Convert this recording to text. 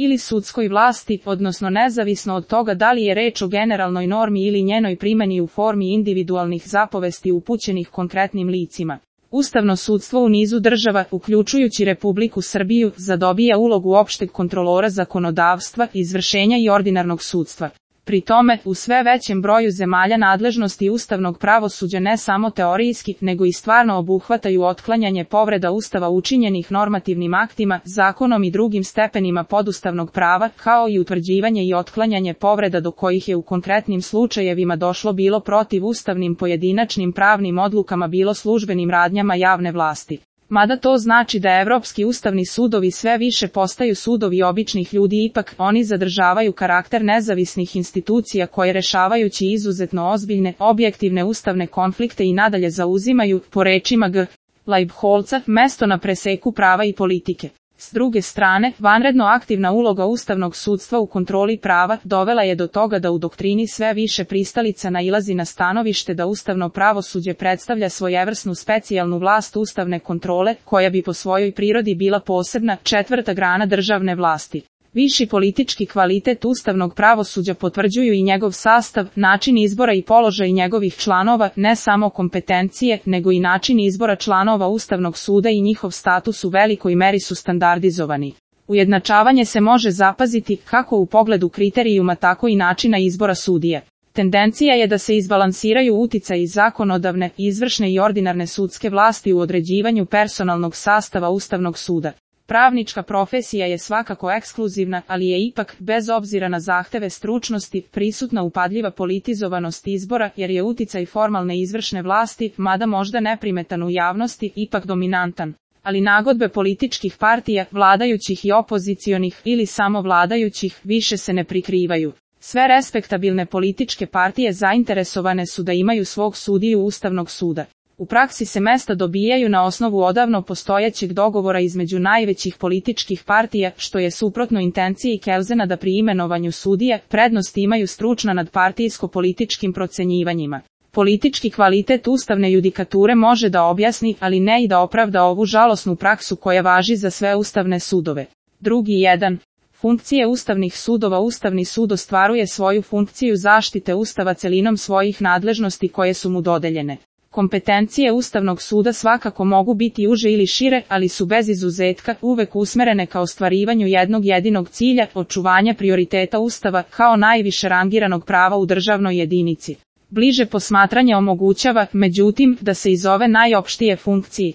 ili sudskoj vlasti, odnosno nezavisno od toga da li je reč o generalnoj normi ili njenoj primjeni u formi individualnih zapovesti upućenih konkretnim licima. Ustavno sudstvo u nizu država, uključujući Republiku Srbiju, zadobija ulogu opšteg kontrolora zakonodavstva, izvršenja i ordinarnog sudstva. Pri tome, u sve većem broju zemalja nadležnosti ustavnog pravosuđa ne samo teorijski, nego i stvarno obuhvataju otklanjanje povreda Ustava učinjenih normativnim aktima, zakonom i drugim stepenima podustavnog prava, kao i utvrđivanje i otklanjanje povreda do kojih je u konkretnim slučajevima došlo bilo protivustavnim pojedinačnim pravnim odlukama bilo službenim radnjama javne vlasti. Mada to znači da evropski ustavni sudovi sve više postaju sudovi običnih ljudi, ipak oni zadržavaju karakter nezavisnih institucija koje rešavajući izuzetno ozbiljne, objektivne ustavne konflikte i nadalje zauzimaju, po rečima G. Leibholca, mesto na preseku prava i politike. S druge strane, vanredno aktivna uloga ustavnog sudstva u kontroli prava dovela je do toga da u doktrini sve više pristalica nailazi na stanovište da ustavno pravosuđe predstavlja svojevrsnu specijalnu vlast ustavne kontrole, koja bi po svojoj prirodi bila posebna, četvrta grana državne vlasti. Viši politički kvalitet ustavnog pravosuđa potvrđuju i njegov sastav, način izbora i položaj njegovih članova, ne samo kompetencije, nego i način izbora članova Ustavnog suda i njihov status u velikoj meri su standardizovani. Ujednačavanje se može zapaziti kako u pogledu kriterijuma tako i načina izbora sudije. Tendencija je da se izbalansiraju uticaji zakonodavne, izvršne i ordinarne sudske vlasti u određivanju personalnog sastava Ustavnog suda. Pravnička profesija je svakako ekskluzivna, ali je ipak, bez obzira na zahteve stručnosti, prisutna upadljiva politizovanost izbora, jer je uticaj formalne izvršne vlasti, mada možda neprimetan u javnosti, ipak dominantan. Ali nagodbe političkih partija, vladajućih i opozicionih, ili samo vladajućih, više se ne prikrivaju. Sve respektabilne političke partije zainteresovane su da imaju svog sudiju Ustavnog suda. U praksi se mesta dobijaju na osnovu odavno postojećeg dogovora između najvećih političkih partija, što je suprotno intenciji Kelzena da pri imenovanju sudije prednost imaju stručna nad partijsko-političkim procenjivanjima. Politički kvalitet ustavne judikature može da objasni, ali ne i da opravda ovu žalosnu praksu koja važi za sve ustavne sudove. Drugi 1. Funkcije ustavnih sudova. Ustavni sud ostvaruje svoju funkciju zaštite Ustava celinom svojih nadležnosti koje su mu dodeljene. Kompetencije Ustavnog suda svakako mogu biti uže ili šire, ali su bez izuzetka uvek usmerene ka ostvarivanju jednog jedinog cilja, očuvanja prioriteta Ustava kao najviše rangiranog prava u državnoj jedinici. Bliže posmatranje omogućava, međutim, da se iz ove najopštije funkcije